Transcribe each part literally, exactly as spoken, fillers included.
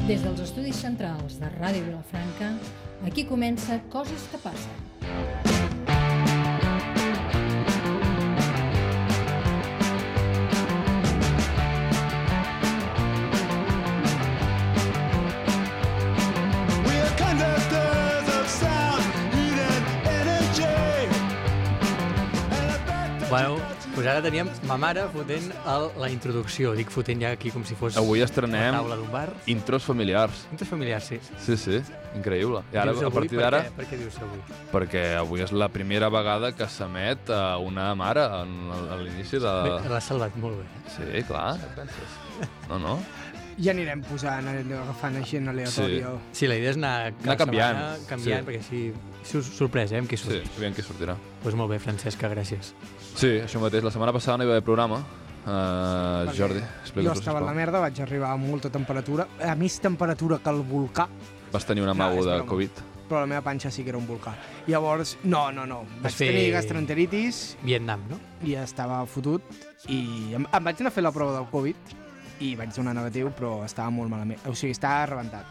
Des dels estudis centrals de Ràdio Vilafranca, aquí comença Coses que passen. Bueno, doncs ara teníem ma mare fotent el, la introducció. Dic fotent ja aquí com si fos avui estrenem la taula d'un bar. Intros familiars. Intros familiars, sí. Sí, sí, increïble. I ara, dius a partir d'ara... Per, per què dius avui? Perquè avui és la primera vegada que s'emet a una mare en, a l'inici de... L'has salvat molt bé. Sí, clar. No, no. Ja anirem posant, agafant gent aleatòria. Sí. sí, la idea és anar, anar canviant, setmana, canviant sí. perquè així sorpresa, eh, amb qui surt. Sí, aviam qui sortirà. Doncs pues molt bé, Francesca, gràcies. Sí, això mateix. La setmana passada no hi va haver programa. Uh, Jordi, explica-ho. Jo estava a la merda, vaig arribar a molta temperatura, a més temperatura que el volcà. Vas tenir una mago de Covid. Però la meva panxa sí que era un volcà. Llavors, no, no, no. Vaig fer... tenir gastroenteritis. Vietnam, no? I estava fotut. I em, em vaig anar a fer la prova del Covid i vaig donar negatiu, però estava molt malament. O sigui, estava rebentat.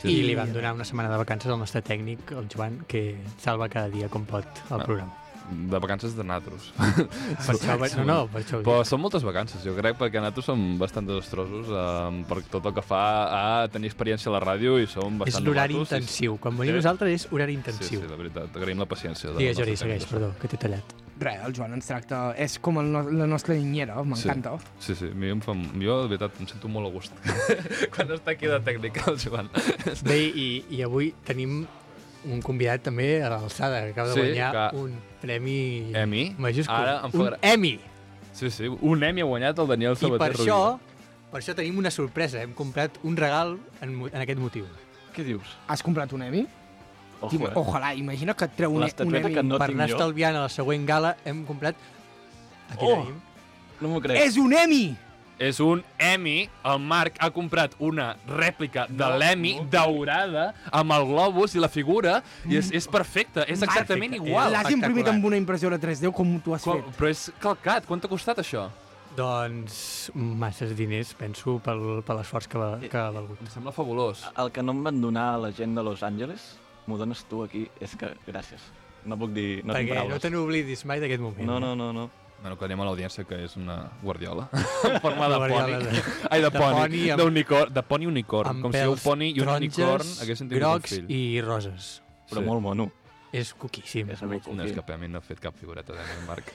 Sí. I li vam donar una setmana de vacances al nostre tècnic, el Joan, que salva cada dia com pot el no. programa. De vacances de natros. Per això, no, no, per això. Però són moltes vacances, jo crec, perquè natros som bastant desastrosos eh, per tot el que fa a tenir experiència a la ràdio i som bastant és l'horari novatos, intensiu. Quan venim sí. nosaltres és horari intensiu. Sí, sí, la veritat. Agraïm la paciència. Digues, Jordi, segueix, perdó, que t'he tallat. Res, el Joan ens tracta... És com el no, la nostra niñera, m'encanta. Sí, sí, sí. Mi em fa, jo, de veritat, em sento molt a gust quan està aquí de tècnica, el Joan. Bé, i, i avui tenim un convidat també a l'alçada, que acaba de sí, guanyar que... un premi Emmy. majúscul. Ara em fa... Un Emmy! Sí, sí, un Emmy ha guanyat el Daniel Sabater. I per això, per això tenim una sorpresa. Hem comprat un regal en, en aquest motiu. Què dius? Has comprat un Emmy? Ojo, eh? Ojalà, imagina que et treu un, un Emmy. No per anar estalviant a la següent gala hem comprat... Aquí oh, tenim. No m'ho crec. És un Emmy! És un Emmy. El Marc ha comprat una rèplica de no, l'Emmy no. daurada amb el globus i la figura i és, és perfecte, és exactament perfecte. Igual. L'has imprimit amb una impressora tres D com tu has Com, fet. Però és calcat. Quant t'ha costat això? Doncs masses diners, penso, pel, per l'esforç que, va, que ha valgut. Em sembla fabulós. El que no em van donar a la gent de Los Angeles, m'ho dones tu aquí, és que gràcies. No puc dir... No perquè no te n'oblidis mai d'aquest moment. No, no, no, no. Bueno, que anem a l'audiència, que és una guardiola en forma de poni. De... Ai, de, de poni, poni amb... d'unicorn, de poni unicorn. Com si un poni i un unicorn haguessin tingut un fill. Grocs i roses. Però sí. Molt mono. És coquíssim. És molt no, és que a mi no he fet cap figureta de mi, Marc.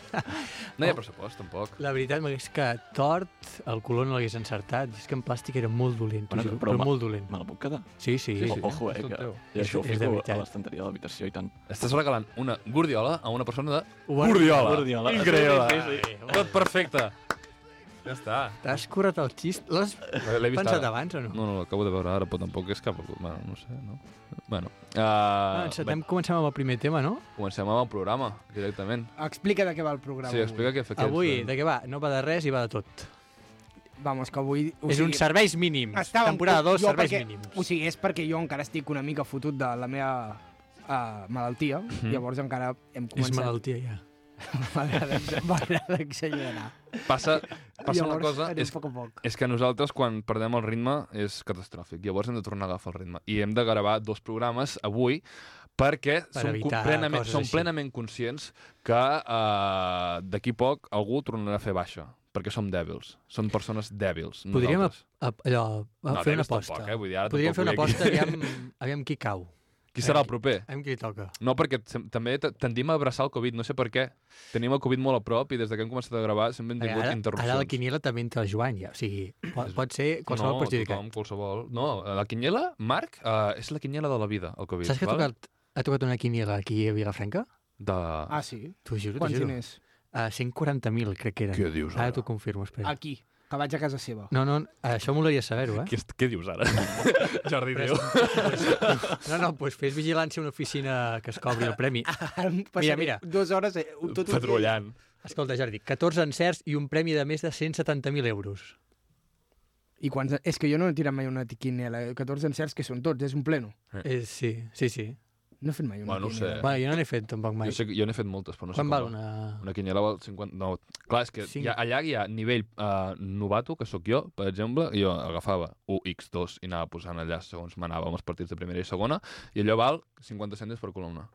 No hi ha pressupost, tampoc. La veritat m'hagués que tort, el color no l'hagués encertat. És que en plàstic era molt dolent, bueno, juro, però, però molt dolent. Me la puc quedar? Sí, sí. sí, sí. Ojo, eh, que i això ho fico a l'estanteria de l'habitació i tant. Estàs regalant una guardiola a una persona de Guardiola. Guardiola. Increïble. Sí, sí, sí. Tot perfecte. Ja està. T'has curat el xist? L'has pensat abans o no? No, no, l'acabo de veure ara, però tampoc és cap... Bueno, no sé, no? Bueno. Uh, ah, encetem, comencem amb el primer tema, no? Comencem amb el programa, directament. Explica de què va el programa. Sí, explica què fa aquest. Avui, de què va? No va de res i va de tot. Vamos, que avui... És sigui, un serveis mínims. Estàvem, temporada dos, serveis perquè, mínims. O sigui, és perquè jo encara estic una mica fotut de la meva uh, malaltia, mm-hmm. Llavors encara hem començat... És malaltia, ja. M'agrada exagerar. Passa, passa llavors, una cosa, és, poc a poc. és que nosaltres quan perdem el ritme és catastròfic, llavors hem de tornar a agafar el ritme. I hem de gravar dos programes avui perquè per som, plenament, som plenament conscients que uh, d'aquí poc algú tornarà a fer baixa, perquè som dèbils, som persones dèbils. Podríem a, a, allò, a no, fer una aposta. Tampoc, eh? Vull dir, ara podríem fer una aposta, aviam, aviam qui cau. Qui serà el proper? Aviam qui li toca. No, perquè també tendim a abraçar el Covid, no sé per què. Tenim el Covid molt a prop i des que hem començat a gravar sempre hem tingut ara, interrupcions. Ara la quiniela també entra el Joan, ja. O sigui, pot, pot ser qualsevol no, perjudicat. No, tothom, qualsevol. No, la quiniela, Marc, uh, és la quiniela de la vida, el Covid. Saps que val? ha tocat, ha tocat una quiniela aquí a Vilafranca? De... Ah, sí? T'ho juro, Quants t'ho juro. diners? Uh, cent quaranta mil, crec que eren. Què dius ara? Ara t'ho confirmo, espera. Aquí, que vaig a casa seva. No, no, això m'hauria de saber-ho, eh? Què, què dius ara? Jordi, diu. No, no, doncs fes vigilància a una oficina que es cobri el premi. Mira, mira. Dues hores... Eh, tot patrullant. Escolta, Jordi, catorze encerts i un premi de més de cent setanta mil euros. I quants... És que jo no he tirat mai una quiniela. catorze encerts que són tots, és un pleno. Eh. Eh, sí, sí, sí. No he fet mai una Bueno, no ho sé. quiniela. Bueno, jo no n'he fet tampoc mai. Jo, sé, que- jo n'he fet moltes, però no sé Quan com val va. una... Una quiniela val cinquanta... No, clar, és que Cinc. hi ha, allà hi ha nivell uh, novato, que sóc jo, per exemple, i jo agafava u ics dos i anava posant allà segons m'anava amb els partits de primera i segona, i allò val cinquanta cèntims per columna.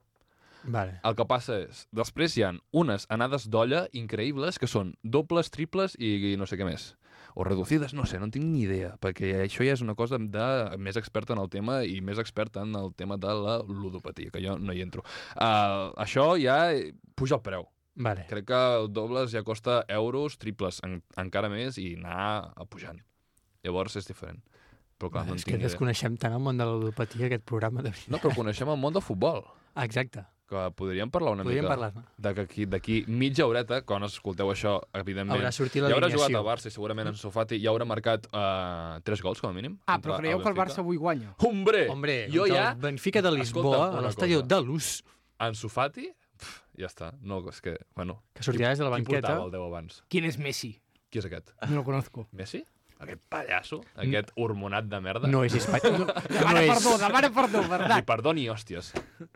Vale. El que passa és, després hi ha unes anades d'olla increïbles que són dobles, triples i, i no sé què més. O reducides, no sé, no en tinc ni idea, perquè això ja és una cosa de més experta en el tema i més experta en el tema de la ludopatia, que jo no hi entro. Uh, això ja puja el preu. Vale. Crec que dobles ja costa euros, triples en, encara més i anar a pujant. Llavors és diferent. Però clar, Vale, no en és que tinc idea. desconeixem tant el món de la ludopatia, aquest programa de veritat. No, però coneixem el món del futbol, Ah, exacte. que podríem parlar una Podríem mica parlar-ne. de que aquí- d'aquí mitja horeta, quan escolteu això, evidentment, Haurà sortit ja haurà jugat l'alineació. al Barça i segurament en Sofati ja haurà marcat uh, tres gols, com a mínim. Ah, contra però creieu que el Benfica. Barça avui guanya? Hombre! Hombre, jo contra ja... el Benfica de Lisboa, Escolta'm a una l'estadi cosa. de Luz, En Sofati, pf, ja està. No, és que, bueno... que sortirà des de la Qui banqueta. portava el deu abans? ¿Quién es Messi? Qui és aquest? No lo conozco. Messi? Aquest pallasso? Aquest hormonat de merda? No és espanyol. No, Demana és... perdó, demana perdó, Li verdad. perdoni, hòsties.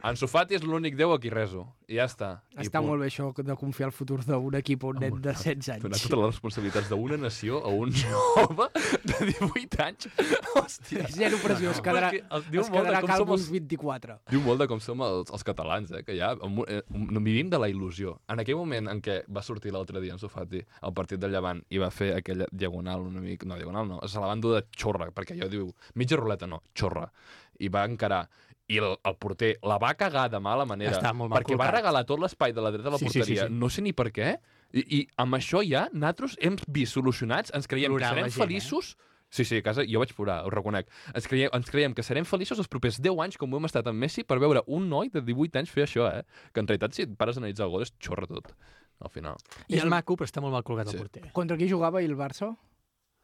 Ansu Fati és l'únic déu a qui reso. I ja està. I Està punt. molt bé això de confiar el futur d'un equip a un nen de setze Donar anys. totes les responsabilitats d'una nació a un jove de divuit anys. Hòstia. Zero pressió, es quedarà, Perquè el- diu es molt de quedarà com calvo som els- uns vint-i-quatre. Diu molt de com som els, els catalans, eh? Que ja amb, eh, no vivim de la il·lusió. En aquell moment en què va sortir l'altre dia Ansu Fati al partit del Llevant i va fer aquella diagonal una mica... No, diagonal no, se la van dur de xorra, perquè allò diu... Mitja ruleta no, xorra. I va encarar. I el, el porter la va cagar de mala manera. Està molt mal perquè va col·locat. regalar tot l'espai de la dreta de la Sí, sí, sí, porteria. sí. No sé ni per què. I, i amb això ja nosaltres hem vist solucionats, ens creiem Plorant que la serem gent, eh? feliços. Sí, sí, a casa jo vaig plorar, ho reconec. Ens creiem, ens creiem que serem feliços els propers deu anys, com ho hem estat amb Messi, per veure un noi de divuit anys fer això, eh? Que en realitat, si et pares a analitzar el gol, és xorra tot, al final. És el- maco, però està molt mal colgat Sí. el porter. Contra qui jugava ahir el Barça?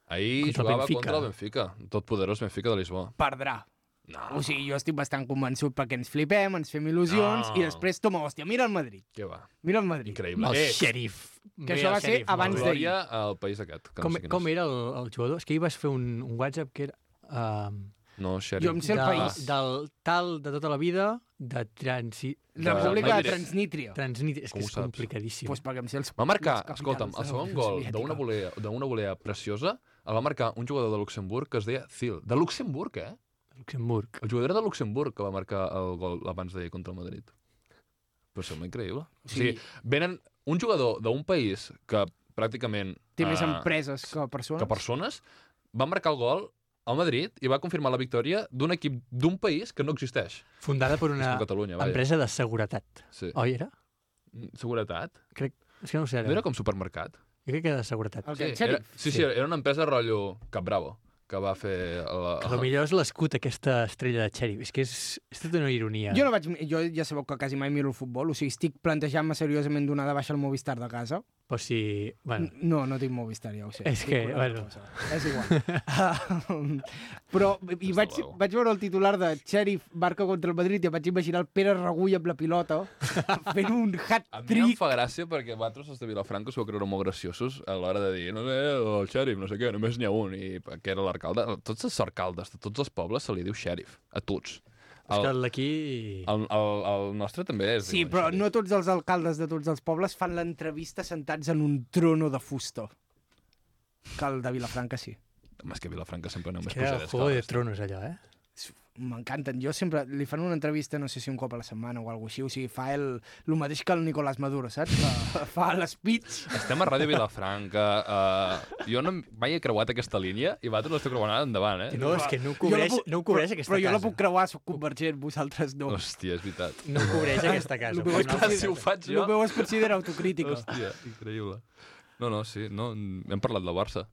Ahir Contra el jugava Benfica. contra el Benfica, tot poderós Benfica de Lisboa. Perdrà. No, O sigui, jo estic bastant convençut perquè ens flipem, ens fem il·lusions No. i després, toma, hòstia, mira el Madrid. què va? Mira el Madrid. Increïble. El Eh, xèrif. que això va ser abans de... d'ahir. glòria al país aquest. Que Com, no sé quin com és. era el, el jugador? És que ahir vas fer un, un WhatsApp que era... Uh, No, Jo Xeri. em sé el de, país. del tal de tota la vida, de transi... República de- de Transnítria. Transnit... És Com que ho és saps? complicadíssim. Pues perquè em sé els Va marcar, les capitals escolta'm, de el la segon Unió gol Soviètica. d'una volea, d'una volea preciosa el va marcar un jugador de Luxemburg que es deia Zil. De Luxemburg, eh? Luxemburg. El jugador de Luxemburg que va marcar el gol abans d'ahir contra el Madrid. Però sembla increïble. O sigui, venen un jugador d'un país que pràcticament... Té més eh, empreses que persones. que persones, va marcar el gol al Madrid i va confirmar la victòria d'un equip d'un país que no existeix. Fundada per És una com Catalunya, vaja. empresa de seguretat. Sí. Oi, era? Seguretat? Crec... És que no ho sé ara. No era com supermercat? Jo crec que era de seguretat. El Sí, que, era, xèrif. sí, sí, Sí. era una empresa rotllo Cap Bravo, que va fer... La... Que potser és l'escut aquesta estrella de xèrif. És que és, és tota una ironia. Jo, no vaig, jo ja sabeu que quasi mai miro el futbol, o sigui, estic plantejant-me seriosament donar de baixa el Movistar de casa. Però si... Bueno, N- No, no tinc Movistar, ja ho sé. És Dic que, una altra bueno. cosa. És igual. Però i vaig, luego. vaig veure el titular de Sheriff Barca contra el Madrid i em vaig imaginar el Pere Regull amb la pilota fent un A mi em hat-trick. fa gràcia perquè vosaltres, els de Vilafranca, us vau creure molt graciosos a l'hora de dir, no sé, el xèrif, no sé què, només n'hi ha un, i que era l'arcalde. Tots els alcaldes de tots els pobles se li diu xèrif, a tots. és que El, l'aquí... el, el, el nostre també és... Sí, però no tots els alcaldes de tots els pobles fan l'entrevista sentats en un trono de fusta. Que el de Vilafranca sí. Home, és que a Vilafranca sempre aneu més Que era pujades. Juego de que Tronos, allò, eh? M'encanten. Jo sempre li fan una entrevista, no sé si un cop a la setmana o alguna així, o sigui, fa el, el mateix que el Nicolás Maduro, saps? Fa, fa l'speech. Estem a Ràdio Vilafranca. Uh, jo no mai he creuat aquesta línia i vosaltres l'esteu creuant ara endavant, eh? No, és que no ho Jo la cobreix, puc- no ho cobreix però, aquesta però jo casa. la puc creuar, soc convergent, vosaltres no. Hòstia, és veritat. No ho cobreix aquesta casa. Lo meu Però és no Clar, ho si ho cobreix. faig El jo... meu es considera autocrítica. Hòstia, increïble. No, no, sí, no, hem parlat del Barça.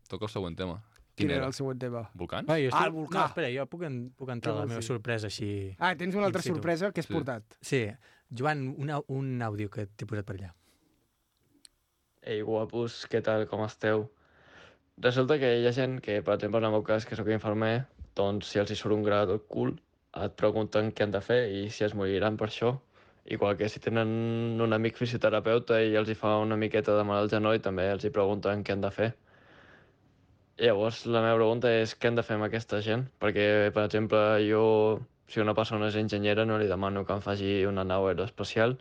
Toca el següent tema. Quin era el següent tema? Volcans? Va, jo estic... Ah, el volcà. No, espera, jo puc, en, puc entrar Què a la vols meva dir? sorpresa així... Ah, tens una altra In situ. sorpresa que has Sí. portat. Sí. Joan, una, un àudio que t'he posat per allà. Ei, guapos, què tal, com esteu? Resulta que hi ha gent que, per exemple, en el meu cas, que sóc infermer, doncs si els hi surt un gra del cul, et pregunten què han de fer i si es moriran per això. Igual que si tenen un amic fisioterapeuta i els hi fa una miqueta de mal al genoll, també els hi pregunten què han de fer. Llavors, la meva pregunta és què hem de fer amb aquesta gent? Perquè, per exemple, jo si una persona és enginyera no li demano que em faci una nau aeroespacial,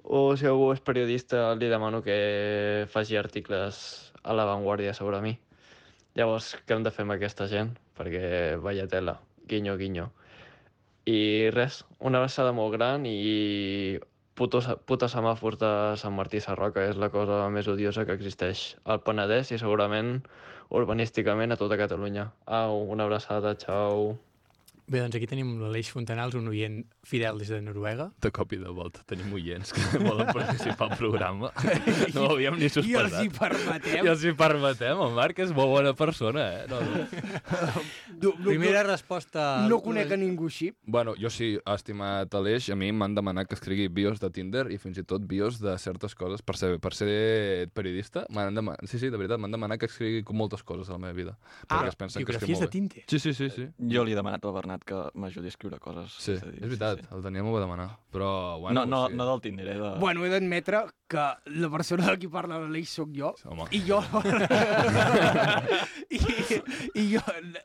o si algú és periodista li demano que faci articles a l'avantguàrdia sobre mi. Llavors, què hem de fer amb aquesta gent? Perquè vaya tela, guinyo, guinyo. I res, una abraçada molt gran i putos, puta semàfors de Sant Martí Sarroca és la cosa més odiosa que existeix al Penedès i segurament urbanísticament a tota Catalunya. Au, una abraçada, xau. Bé, doncs aquí tenim l'Aleix Fontanals, un oient fidel des de Noruega. De cop i de volta tenim oients que volen participar al programa. No ho havíem ni I els sospesat. hi permetem. I els hi permetem. El Marc és molt bona persona, eh? No, no. No, no, Primera no, resposta... no conec a ningú així. Bueno, jo sí, estimat Aleix, a mi m'han demanat que escrigui bios de Tinder i fins i tot bios de certes coses. Per ser, per ser periodista, m'han demanat... Sí, sí, de veritat, m'han demanat que escrigui moltes coses a la meva vida. Ah, Perquè es pensen que escric biografies de molt bé. Tinder. Sí, sí, sí, sí. Jo li he demanat al Bernat que m'ajudi a escriure coses. Sí, a dir, és veritat, Sí, sí. el Daniel m'ho va demanar. Però, No, bueno... no, sí. no del Tinder, eh? De... Bueno, he d'admetre que la persona de qui parla l'Aleix sóc jo. Home. I jo... I, i, jo,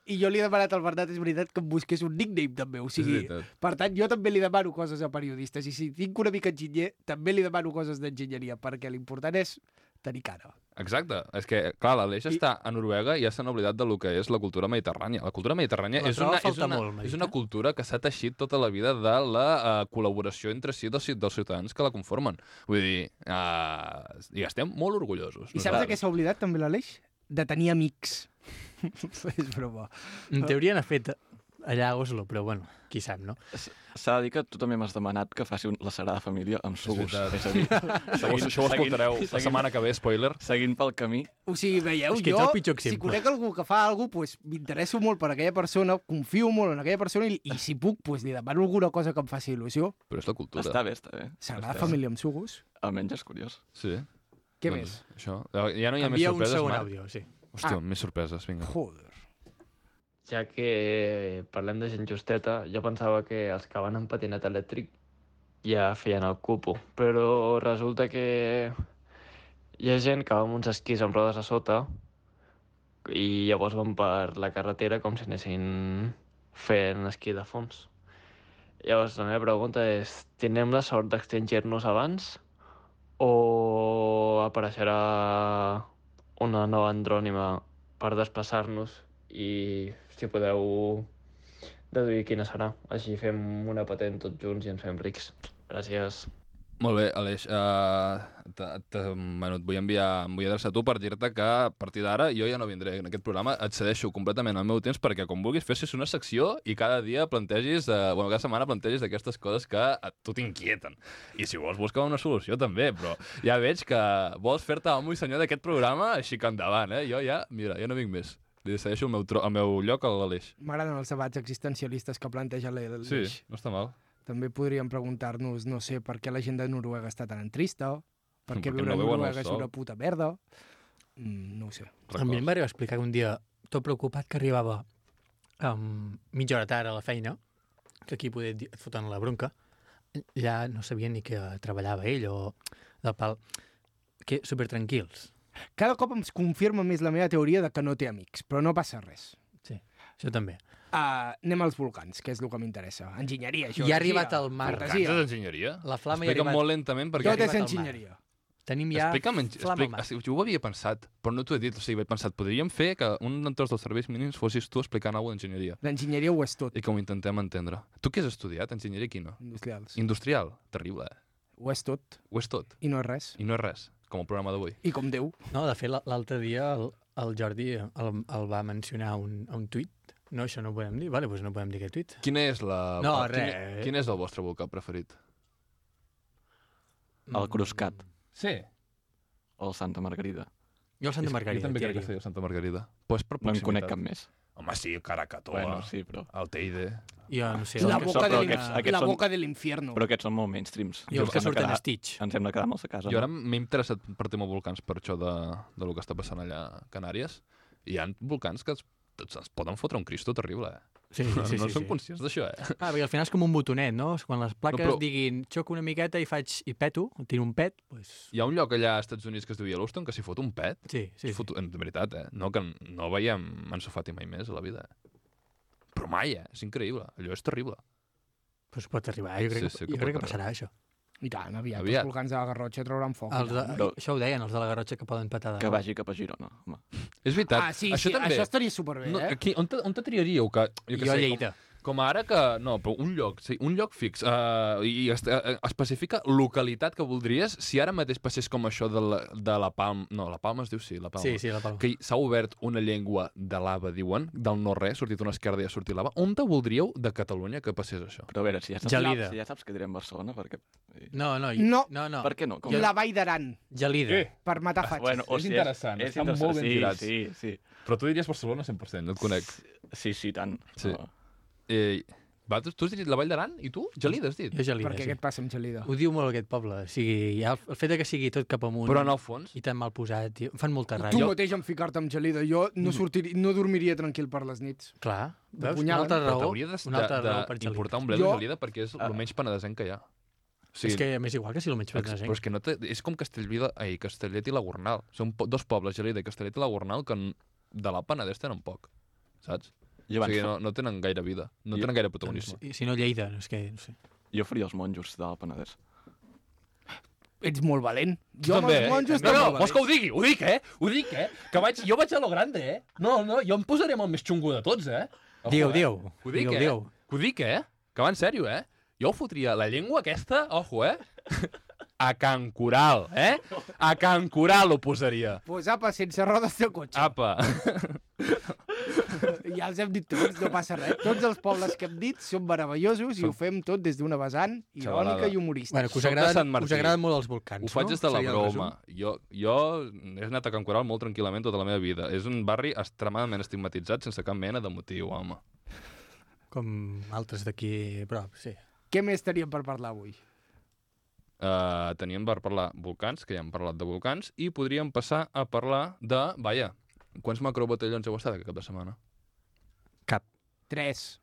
I jo li he demanat al Bernat, és veritat, que em busqués un nickname també. O sigui, És veritat. per tant, jo també li demano coses a periodistes. I si tinc una mica enginyer, també li demano coses d'enginyeria, perquè l'important és tenir cara. Exacte. És que, clar, l'Aleix I- està a Noruega i ja s'han oblidat de lo que és la cultura mediterrània. La cultura mediterrània La és troba una, és, falta una, molt, és Marita. una cultura que s'ha teixit tota la vida de la uh, col·laboració entre si dels, dels ciutadans que la conformen. Vull dir, uh, i estem molt orgullosos. I saps de què s'ha oblidat també l'Aleix? De tenir amics. És broma. En teoria n'ha fet allà a Oslo, però bueno, qui sap, no? S- S'ha de dir que tu també m'has demanat que faci un, la Sagrada Família amb sugus. veritat. És a dir, Això, ho- això ho escoltareu la setmana que ve, spoiler. seguint pel camí, O sigui, veieu, És que ets jo, el pitjor si exemple. conec algú que fa alguna cosa, pues, m'interesso molt per aquella persona, confio molt en aquella persona i, i si puc, pues, li demano alguna cosa que em faci il·lusió. Però és la cultura. està bé, està bé. Sagrada Està bé. Família amb sugus. Almenys és curiós. Sí. Què Doncs, més? Això. Ja no hi ha més Envia un sorpreses, segon Marc. àudio, sí. Hòstia, Ah. més sorpreses, vinga. Joder. Ja que parlem de gent justeta, jo pensava que els que van en patinet elèctric ja feien el cupo, però resulta que hi ha gent que va amb uns esquís amb rodes a sota i llavors van per la carretera com si anessin fent esquí de fons. Llavors la meva pregunta és, tindrem la sort d'extingir-nos abans o apareixerà una nova andrònima per desplaçar-nos i si podeu deduir quina serà. Així fem una patent tots junts i ens fem rics. Gràcies. Molt bé, Aleix. Uh, t, t, bueno, et vull enviar, em vull adreçar a tu per dir-te que a partir d'ara jo ja no vindré en aquest programa, et cedeixo completament el meu temps perquè com vulguis fessis una secció i cada dia plantegis, uh, bueno, cada setmana plantegis aquestes coses que a tu t'inquieten. I si vols buscar una solució també, però ja veig que vols fer-te amo i senyor d'aquest programa, així que endavant, eh? Jo ja, mira, ja no vinc més. Li cedeixo el meu, tro el meu lloc a l'Aleix. M'agraden els debats existencialistes que planteja l'Aleix. Sí, no està mal. També podríem preguntar-nos, no sé, per què la gent de Noruega està tan trista, per què Perquè viure no a veuen el Noruega és sol. una puta merda. Mm, no ho sé. A mi em va arribar a explicar que un dia, tot preocupat, que arribava um, mitja hora tard a la feina, que aquí poder dir- et foten la bronca, ja no sabien ni que treballava ell o del pal, que supertranquils. Cada cop em confirma més la meva teoria de que no té amics, però no passa res. Sí, això també. Uh, anem als volcans, que és el que m'interessa. Enginyeria, I ha geologia, arribat al mar. Volcans fantasia. és enginyeria? La flama hi ha Explica'm arribat. molt lentament perquè... Tot és arribat al mar. enginyeria. Tenim ja Explica'm, flama al explica, mar. jo ho havia pensat, però no t'ho he dit, o sigui, he pensat, podríem fer que un d'entre els serveis mínims fossis tu explicant alguna cosa d'enginyeria L'enginyeria ho és tot. i que ho intentem entendre. Tu què has estudiat? Enginyeria quina? Industrials. Industrial? Terrible, eh? Ho és tot. Ho és tot. I no és res. I no és res, com el programa d'avui. I com Déu. No, de fet, l- l'altre dia el, el Jordi el, el va mencionar a un, a un tuit. No, això no ho podem dir? Vale, doncs no podem dir aquest tuit. Quina és la... No, quin, res. Quin és el vostre volcà preferit? El Cruscat Sí. o el Santa Margarida. Jo el Santa Margarida. Jo també crec que tiraria. seria el Santa Margarida. Pues per No en conec proximitat. cap més. Home, sí, Caracatoa, Bueno, sí, però... el Teide... Jo no sé. La el- boca, però de aquests- l'in- aquests la són- boca de l'infierno. Però aquests són molt mainstreams. I els que Ens hem de surten a quedar- Stitch. Ens hem de quedar molt a casa. Jo ara no? m'he interessat per tema volcans per això de, de lo que està passant allà a Canàries. Hi ha volcans que es, es poden fotre un cristo terrible, eh? Sí, sí, sí. no sí, som sí. conscients d'això, eh? Ah, perquè al final és com un botonet, no? Quan les plaques No, però- diguin xoco una miqueta i faig i peto, tiro un pet, doncs... Hi ha un lloc allà als Estats Units que es diu Yellowstone que s'hi fot un pet. Sí, sí, Sí, sí. foto, de veritat, eh? No, que no veiem Ansu Fati mai més a la vida, eh? Però mai, eh? És increïble. Allò és terrible. Pues pot arribar, jo crec, Sí, sí que, que jo crec pot que passarà això. I tant, aviat, Aviat. els volcans de la Garrotxa trauran foc. Els de, No. Això ho deien, els de la Garrotxa, que poden petar de Que nou. vagi cap a Girona, home. És veritat. Ah, sí, això sí, també. això estaria superbé, No, eh? aquí, on, te, on te triaríeu? Que, jo, que Jo a sé, Lleida. Com, com ara que... No, però un lloc, sí, un lloc fix. Uh, I es, uh, especifica localitat que voldries si ara mateix passés com això de la, de la Palma... No, la Palma es diu sí, la Palma. Sí, sí, la Palma. Que s'ha obert una llengua de lava, diuen, del no-res, sortit una esquerda i ha sortit lava. On te voldríeu de Catalunya que passés això? Però a veure, si ja saps, Gelida. si ja saps que direm Barcelona, perquè... No, no, No. no, no. Per què no? Com... La Vall d'Aran, Gelida. Eh. per matar fatxes. Bueno, o És si interessant, és, és estan interessant. molt ben sí, tirats. Sí, sí, Però tu diries Barcelona cent per cent, no et conec. sí, sí, tant. Sí. No. Eh, va, tu, tu has dit la Vall d'Aran i tu? Gelida has dit? Jo Gelida, Perquè sí. què et passa amb Gelida? Ho diu molt aquest poble. O sigui, ja el, el fet de que sigui tot cap amunt Però en el fons... i tan mal posat, tio, em fan molta Tu ràbia. mateix en ficar-te amb Gelida. Jo no, sortiria, no dormiria tranquil per les nits. Clar, veus? Una Punyalen. altra Però raó, t'hauria de- una altra de- raó per Gelida. d'importar un ble Jo- de Gelida perquè és el menys penedesenc que hi ha. Sí, És que m'és igual que si el menys Ex- penedesenc. però és que no té, és com Castellví de, ai, Castellet i la Gornal. Són po dos pobles, Gelida i Castellet i la Gornal, que n- de la Penedès tenen poc, saps? Jo, O abans, sigui, no, no tenen gaire vida, no Jo- tenen gaire protagonisme. I si no Lleida, és que... No sé. jo faria els monjos del Penedès. Ets molt valent. Tu Jo amb també, els eh? monjos No, no, també vols que ho digui? Ho dic, eh? Ho dic, eh? Que vaig, jo vaig a lo grande, eh? No, no, jo em posaré amb el més xungo de tots, eh? Ojo, Diu, eh? diu. Ho dic, Diu, eh? diu. Ho dic, eh? Que va en sèrio, eh? Jo ho fotria la llengua aquesta, ojo, eh? A Can Coral, eh? A Can Coral ho posaria. Pues apa, sense rodes de cotxe. Apa. Ja els hem dit tots, no passa res. Tots els pobles que hem dit són meravellosos i ho fem tot des d'una vessant irònica Xavalada. i humorista. Bueno, que us Soc de agraden, Sant Martí. us agraden molt els volcans, Ho faig no? des de la Seria el broma. resum. Jo, jo he anat a Can Coral molt tranquil·lament tota la meva vida. És un barri extremadament estigmatitzat sense cap mena de motiu, home. Com altres d'aquí a prop, sí. Què més teníem per parlar avui? Uh, teníem per parlar volcans, que ja hem parlat de volcans, i podríem passar a parlar de... Vaja, quants macrobotellons heu estat aquest cap de setmana? Cap. Tres.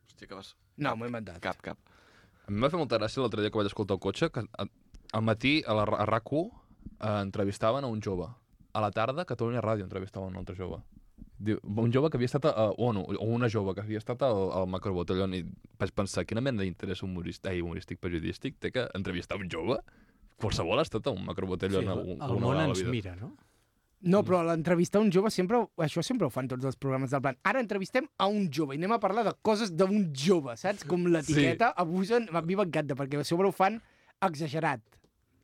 Hòstia, que vas... No, m'ho he inventat. Cap, cap. A mi em va fer molta gràcia l'altre dia que vaig escoltar el cotxe, que a- al matí a, la, a RAC u eh, entrevistaven a un jove. A la tarda, a Catalunya Ràdio entrevistaven un altre jove. Diu, un jove que havia estat, a, o, no, o una jove que havia estat al, al macrobotellón, i vaig pensar, quina mena d'interès humorístic, ai, humorístic periodístic té que entrevistar un jove? Qualsevol ha estat a un macrobotellón. Sí, un, el món ens mira, no? No, però l'entrevistar un jove sempre... Això sempre ho fan tots els programes del plan. Ara entrevistem a un jove i anem a parlar de coses d'un jove, saps? Com l'etiqueta, sí. Abusen... A mi m'encanta, perquè a sobre ho fan exagerat.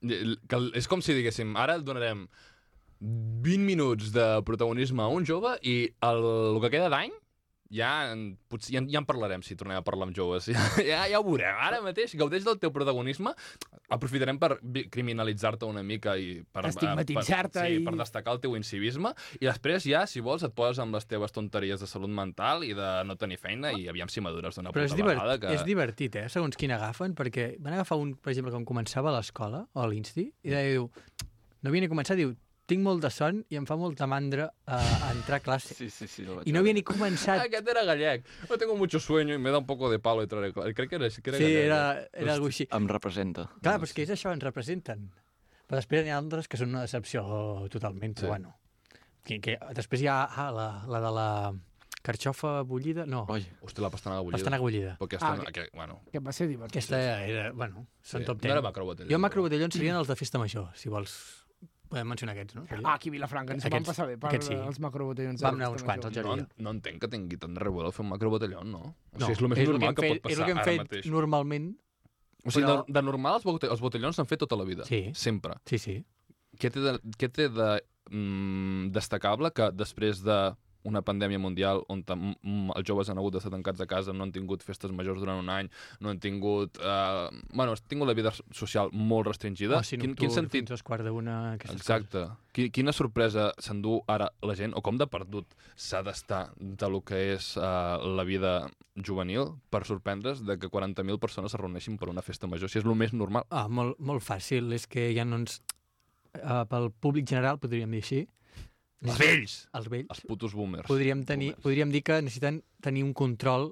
Que és com si diguéssim, ara donarem vint minuts de protagonisme a un jove i el, el que queda d'any ja, en- potser, ja, en- ja en parlarem si tornem a parlar amb joves. Ja, ja, ja ho veurem. Ara mateix gaudeix del teu protagonisme. Aprofitarem per vi- criminalitzar-te una mica i per, Estigmatitzar-te per, sí, i- per destacar el teu incivisme. I després ja, si vols, et poses amb les teves tonteries de salut mental i de no tenir feina i aviam si madures d'una Però puta és, divert, vegada. Que... és divertit, eh? Segons quin agafen, perquè van agafar un, per exemple, quan començava a l'escola, o a l'Insti, i deia, diu, no havia ni començat, diu, tinc molt de son i em fa molta mandra a, a entrar a classe. Sí, sí, sí. el vaig I no veure. havia ni començat. Aquest era gallec. No tengo mucho sueño y me da un poco de palo entrar a clase. Crec que era, que era Sí, gallec. era, era alguna així. Em representa. Clar, però és que és això, ens representen. Però després hi ha altres que són una decepció totalment, però Sí. bueno. Que, que, després hi ha ah, la, la de la carxofa bullida, no, Oi, Hòstia, la pastanaga bullida. pastanaga bullida. Però aquesta, Ah, ah, que, bueno, Que va ser divertit. Aquesta era, bueno, són sí. top No ten. era macrobotellón. Jo macrobotellons serien els de festa major, si vols. Podem mencionar aquests, no? Ah, aquí a Vilafranca ens Aquests- van passar bé per aquests sí. els macrobotellons. Vam anar uns quants, al No, jardí. no entenc que tingui tant de rebuda fer un macrobotellón, no? O No, sigui, és el més és el normal que, que, hem pot fet, és passar el que hem ara fet mateix. normalment. O sigui, però- de, de normal els, bote els botellons s'han fet tota la vida. Sí. Sempre. Sí, sí. Què té de, què té de mm, destacable que després de una pandèmia mundial on tam- mm, els joves han hagut d'estar tancats a casa, no han tingut festes majors durant un any, no han tingut... Eh, bueno, han tingut la vida social molt restringida. Oci quin, nocturn, quin sentit... fins als quarts d'una... aquestes Exacte. Qui, quina sorpresa s'endú ara la gent, o com de perdut s'ha d'estar de lo que és uh, la vida juvenil per sorprendre's de que quaranta mil persones es reuneixin per una festa major, si és el més normal. Ah, molt, molt fàcil, és que ja no ens... Uh, pel públic general, podríem dir així. Els vells! Els vells. Els putos boomers. Podríem, tenir, boomers. podríem dir que necessiten tenir un control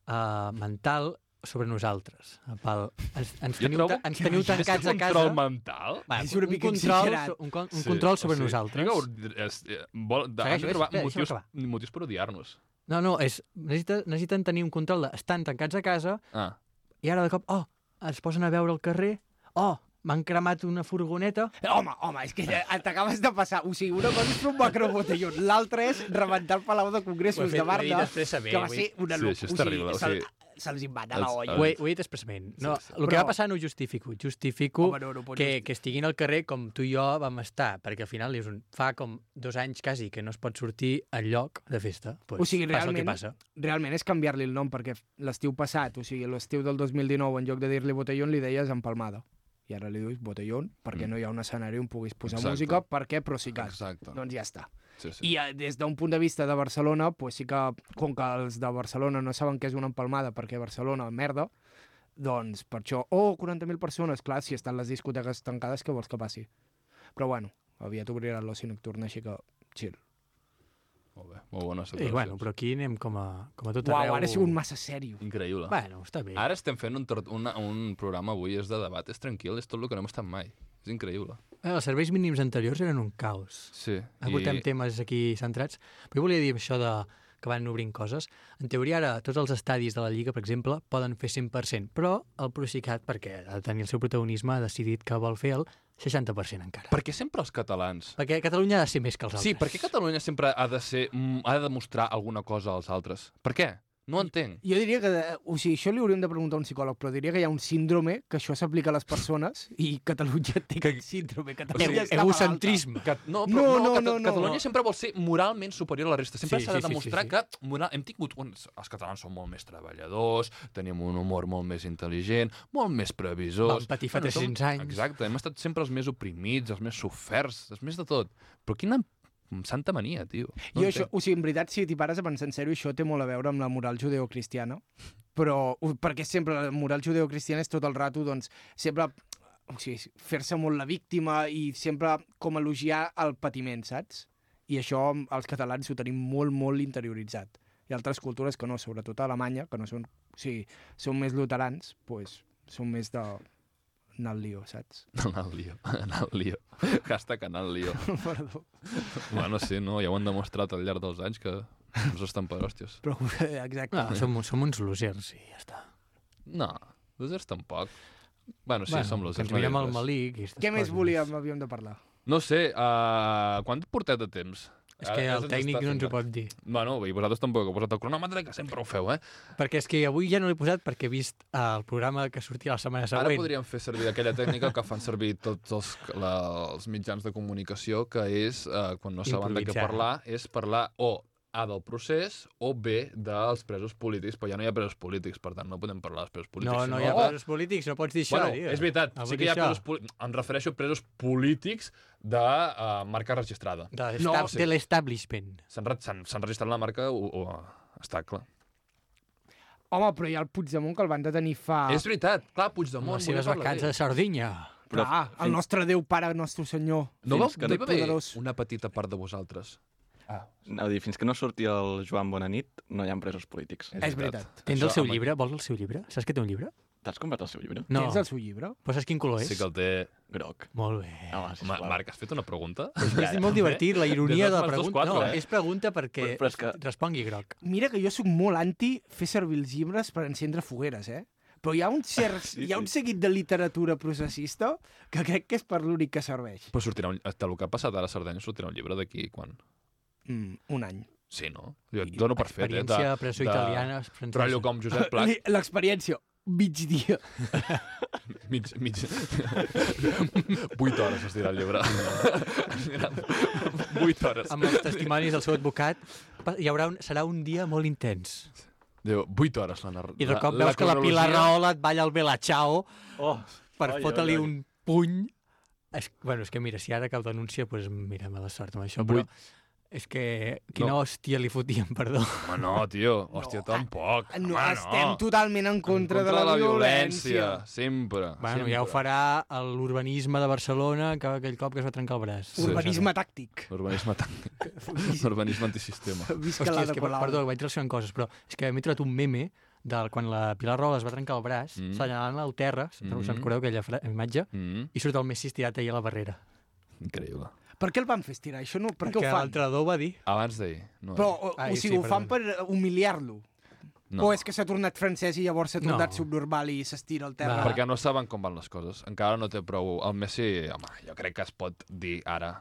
uh, mental sobre nosaltres. Pel, ens, ens, Jo teniu, trobo ta- ens teniu tancats a casa. control mental? Va, És una un, mica control, exagerat. so- un, con- un Sí, control sobre o sigui, nosaltres. Vinga, és, eh, vol, de, han Segueix, de trobar espera, deixa'm motius, acabar. motius per odiar-nos. No, no, és, necessita, necessiten tenir un control de... Estan tancats a casa, Ah, i ara de cop, oh, es posen a veure al carrer, oh, m'han cremat una furgoneta. Home, home, és que t'acabes de passar. O sigui, una cosa és fer un macrobotellón, l'altra és rebentar el Palau de Congressos de Barna, que va ser una Sí, això és terrible. O sigui, se'ls va anar la els- olla. Ho he, ho he dit expressament. No, Sí, sí. el que Però- va passar no ho justifico. Justifico Home, no, no pots que, justificar. que estiguin al carrer com tu i jo vam estar, perquè al final és un, fa com dos anys quasi que no es pot sortir al lloc de festa. Pues, O sigui, passa el que realment- passa. Realment és canviar-li el nom, perquè l'estiu passat, o sigui, l'estiu del dos mil dinou, en lloc de dir-li botellón, li deies empalmada. I ara li dius botellón, perquè Mm. no hi ha un escenari on puguis posar Exacte. música, perquè Procicat. Exacte. Doncs ja està. Sí, sí. I eh, des d'un punt de vista de Barcelona, pues sí que, com que els de Barcelona no saben què és una empalmada, perquè Barcelona, merda, doncs per això, oh, quaranta mil persones, clar, si estan les discoteques tancades, què vols que passi? Però bueno, aviat obriran l'oci nocturn, així que chill. Molt bé, molt bones I declaracions. bueno, però aquí anem com a, com a tot Uau, arreu. ara he sigut massa sèrio. Increïble. Bueno, està bé. Ara estem fent un, tor- una, un programa avui, és de debat, és tranquil, és tot el que no hem estat mai. És increïble. Eh, Els serveis mínims anteriors eren un caos. Sí. I... Portem temes aquí centrats. Però jo volia dir això de que van obrint coses. En teoria, ara, tots els estadis de la Lliga, per exemple, poden fer cent per cent, però el Procicat, perquè ha de tenir el seu protagonisme, ha decidit que vol fer el seixanta per cent encara. Per què sempre els catalans? Perquè Catalunya ha de ser més que els altres. Sí, per què Catalunya sempre ha de ser, mm, ha de demostrar alguna cosa als altres? Per què? No ho entenc. Jo diria que, eh, o sigui, això li hauríem de preguntar a un psicòleg, però diria que hi ha un síndrome, que això s'aplica a les persones, i Catalunya té que... síndrome. Catalunya E- està malalta. Egocentrisme. Cat... No, No, però, no, no, Cata no, no. Catalunya sempre vol ser moralment superior a la resta. Sempre Sí, s'ha de sí, sí, demostrar sí, sí. que moral... hem tingut... Uns... Els catalans són molt més treballadors, tenim un humor molt més intel·ligent, molt més previsors... Vam patir fa tres-cents som- anys. Exacte, hem estat sempre els més oprimits, els més soferts, els més de tot. Però quina santa mania, tio. No Jo això, entenc. o sigui, en veritat, si t'hi pares a pensar en sèrio, això té molt a veure amb la moral judeocristiana, però ho- perquè sempre la moral judeocristiana és tot el rato, doncs, sempre o sigui, fer-se molt la víctima i sempre com elogiar el patiment, saps? I això els catalans ho tenim molt, molt interioritzat. Hi ha altres cultures que no, sobretot a Alemanya, que no són, o sigui, són més luterans, doncs són més de anar al lío, saps? Anar al lío, anar al lío. Hashtag anar al lío. Perdó. Bueno, sí, no? Ja ho han demostrat al llarg dels anys que ens estan per hòsties. Però, exacte. No, som, som uns losers i ja està. No, losers tampoc. Bueno, sí, bueno, som que losers. ens mirem no al dius res. malic i aquestes Què més coses. volíem, havíem de parlar? No sé, uh, quant portet de temps? És que Ara el ens tècnic està no ens ho fent- pot dir. Bueno, i vosaltres tampoc heu posat el cronòmetre, que sempre ho feu, eh? Perquè és que avui ja no l'he posat perquè he vist el programa que sortia la setmana següent. Ara podríem fer servir aquella tècnica que fan servir tots els, la, els mitjans de comunicació, que és, uh, quan no saben de què Improvisar. parlar, és parlar o A del procés o B dels presos polítics, però ja no hi ha presos polítics, per tant no podem parlar dels presos polítics. No, no sinó- hi ha Oh! presos polítics, no pots dir això, Bueno, tio. és veritat, No sí vull que hi ha dir això. presos polítics. Em refereixo a presos polítics de uh, marca registrada. De, No, no, sí. de l'establishment. S'han re- s'han- s'han registrat la marca, o, o, està clar. Home, però hi ha el Puigdemont que el van detenir fa... És veritat, clar, Amb Puigdemont... les seves volia parlar vacances de Sardinya. Clar, Però el fins- nostre Déu Pare, nostre Senyor. No vau Fins que no no- hi va haver poderós. una petita part de vosaltres? Ah, Anava a dir, fins que no surti el Joan Bonanit, no hi ha presos polítics. És veritat. Tens Això, el seu home, llibre? Vols el seu llibre? Saps que té un llibre? T'has comprat el seu llibre? No. Tens el seu llibre? Però saps quin color és? Sí que el té... Groc. Molt bé. Home, Ma sisplau. Marc, has fet una pregunta? És molt divertit, la ironia De de dos la més dos, pregunta. quatre, No, eh? és pregunta perquè Però- però és que- respongui groc. Mira que jo sóc molt anti fer servir els llibres per encendre fogueres, eh? Però hi ha un, cert, Sí, hi ha un sí. seguit de literatura processista que crec que és per l'únic que serveix. Però sortirà un... Del que ha passat ara a Sardenya sortirà un llibre d'aquí quan? Mm, un any. Sí, no? Jo et dono per fet, eh? Experiència presó italiana, francesa. Rotllo com Josep Pla. Li- L'experiència, migdia. mig, mig... Vuit hores es dirà el llibre. Es dirà Vuit hores. Amb els testimonis del seu advocat, pa- hi haurà un, serà un dia molt intens. Diu, vuit hores la narració. I de cop veus que la Pilar Rahola et balla el Bella Ciao Oh, per Ai, fotre-li ai, ai. un puny. És, bueno, és que mira, si ara cap denúncia, doncs mira, mala sort amb això, però Vuit. és que quina No. hòstia li fotíem, perdó. Home, no, tio. Hòstia, No, tampoc. No, Home, estem no. totalment en contra, En de la, violència. Sempre. Bueno, sempre. ja ho farà l'urbanisme de Barcelona, que aquell cop que es va trencar el braç. Sí, Urbanisme tàctic. Urbanisme tàctic. Urbanisme antisistema. Visca Hòstia, la és de que, Colau. perdó, vaig relacionant coses, però és que m'he trobat un meme de quan la Pilar Rahola es va trencar el braç, Mm. mm. assenyalant al terra, Mm. mm. se'n recordeu aquella fra- imatge, Mm, i surt el Messi estirat allà a la barrera. increïble. Per què el van fer estirar? Això no, per què Perquè ho fan? l'entrenador va dir... Abans d'ahir. No, Però, o, Ai, o sigui, sí, ho fan per perdona. humiliar-lo. No. O és que s'ha tornat francès i llavors s'ha tornat No. subnormal i s'estira al terra? Va. Perquè no saben com van les coses. Encara no té prou... El Messi, home, jo crec que es pot dir ara,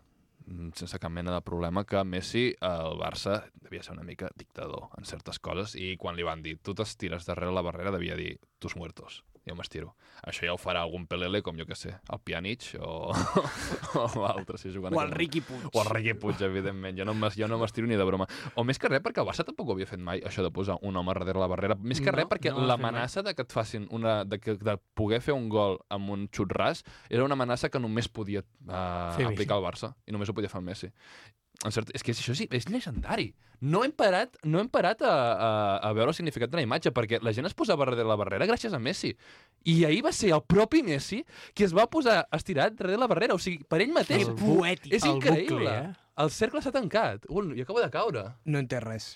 mm, sense cap mena de problema, que Messi, el Barça, devia ser una mica dictador en certes coses, i quan li van dir tu t'estires darrere la barrera, devia dir tus muertos. Jo m'estiro. Això ja ho farà algun Pelele, com jo que sé, el Pjanic o, o altre, si jugant O a el aquest Riqui Puig. O el Riqui Puig, evidentment. Jo no m'es- jo no m'estiro ni de broma. O més que res, perquè el Barça tampoc ho havia fet mai, això de posar un home darrere la barrera. Més que No, res, perquè no ho ha fet l'amenaça de que et facin una... De, que, de poder fer un gol amb un xut ras era una amenaça que només podia uh, Fer aplicar el Barça. I només ho podia fer el Messi. En cert, és que això sí, és llegendari. No hem parat, no hem parat a, a, a veure el significat de la imatge, perquè la gent es posava darrere la barrera gràcies a Messi. I ahir va ser el propi Messi qui es va posar estirat darrere la barrera. O sigui, per ell mateix. Que poètic. És El increïble. bucle, eh? El cercle s'ha tancat. Ui, i acaba de caure. No en té res.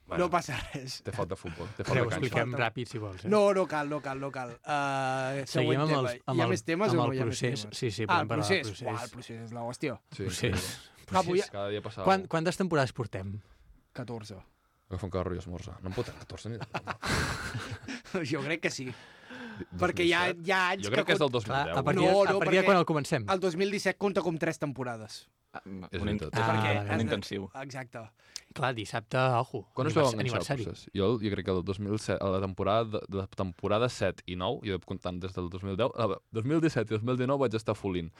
Bueno. No passa res. Té falta futbol, té Però falta ho canxa. expliquem ràpid, si vols. Eh? No, no cal, no cal, no cal. Uh, Seguim amb, tema. els, amb, Hi ha el, més temes amb o no el hi ha més procés. temes? Sí, sí, Ah, podem el parlar procés. del procés. Uah, el procés és l'hòstia. Sí, procés. Ah, vull- Cada dia passa Quan, alguna quantes temporades portem? catorze. Agafa un carro i esmorza. No en pot catorze ni de broma. Jo crec que sí. dos Perquè mil hi ha, set? hi ha anys Jo crec que és del dos mil Clar, deu. a partir, No, no, no, a partir de perquè quan el comencem? el dos mil disset compta com tres temporades. Ah, És un, in veritat. Ah, perquè vale. un intensiu. Exacte. Clar, dissabte, ojo. Quan us vau anivers- enganxar al procés? Jo, jo crec que el dos mil set, a la temporada, de, de la temporada set i nou, jo comptant des del dos mil deu, a dos mil disset i dos mil dinou vaig estar full-in.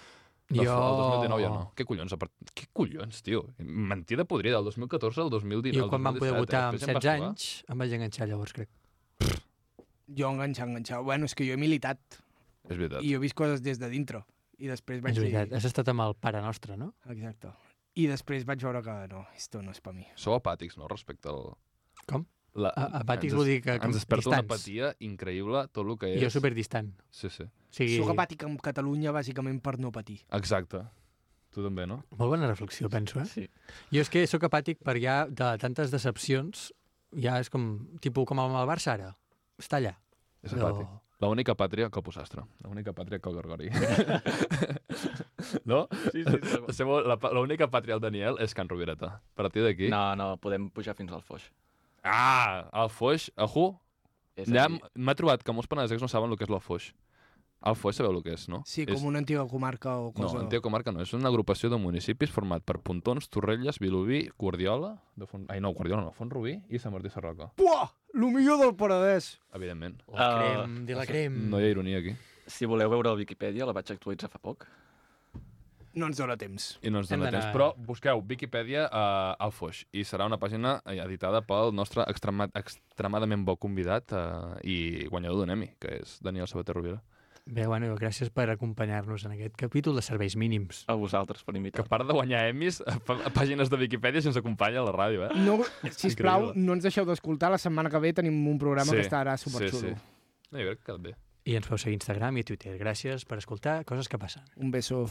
No, Jo... El dos mil dinou ja no. Què collons? A part... Què collons, tio? Mentida podrida. El dos mil catorze al dos mil dinou. Jo quan vam poder votar amb Després em vas setze trobar. anys em vaig enganxar llavors, crec. Jo enganxar, enganxar. Bueno, és que jo he militat És veritat. i jo he vist coses des de dintre. I després vaig És veritat, dir... has estat amb el pare nostre, no? Exacte. I després vaig veure que no, esto no és per mi. Sou apàtics, no?, respecte al... Com? La... A- apàtics ens vol es- dir que com Ens desperta una distants. apatia increïble, tot el que és... Jo superdistant. Sí, sí. O sigui, Soc apàtic amb Catalunya bàsicament per no patir. Exacte. Tu també, no? molt bona reflexió, penso, eh? Sí. Jo és que sóc apàtic per ja de tantes decepcions, ja és com, tipus com amb el Barça ara. Està allà. És Però- apàtic. L'única pàtria que el Posastre. L'única pàtria que el Gorgori. no? Sí, sí, segur. La seva- la pa- L'única pàtria al Daniel és Can Rovireta. A partir d'aquí... No, no, podem pujar fins al Foix. Ah! El Foix, ajú! És Allà aquí. m- m'ha trobat que molts penedesencs no saben el que és el Foix. El Foix sabeu el que és, no? Sí, és... com una antiga comarca o No, cosa... Antiga Comarca no. És una agrupació de municipis format per Pontons, Torrelles, Vilobí, Guardiola... De Font... Ai, no, Guardiola no. Font-rubí i Sant Martí Sarroca. Puah! Lo millor del Penedès! Evidentment. La Uh, crem, de la crem. No hi ha ironia aquí. Si voleu veure el Viquipèdia, la vaig actualitzar fa poc. No ens dona temps. I no ens Hem dona d'anar- temps. Però busqueu Viquipèdia uh, al Foix i serà una pàgina eh, editada pel nostre extrema, extremadament bo convidat uh, i guanyador d'un Emmy, que és Daniel Sabater Rovira. Bé, bueno, gràcies per acompanyar-nos en aquest capítol de serveis mínims. A vosaltres per Que a invitar. part de guanyar Emmys, a a pàgines de Viquipèdia se'ns acompanya a la ràdio, eh? No, sisplau, Increïble. no ens deixeu d'escoltar. La setmana que ve tenim un programa Sí, que estarà superxulo. Sí, sí. No, jo crec que quedat bé. I ens podeu seguir a Instagram i a Twitter. Gràcies per escoltar Coses que passen. Un beso.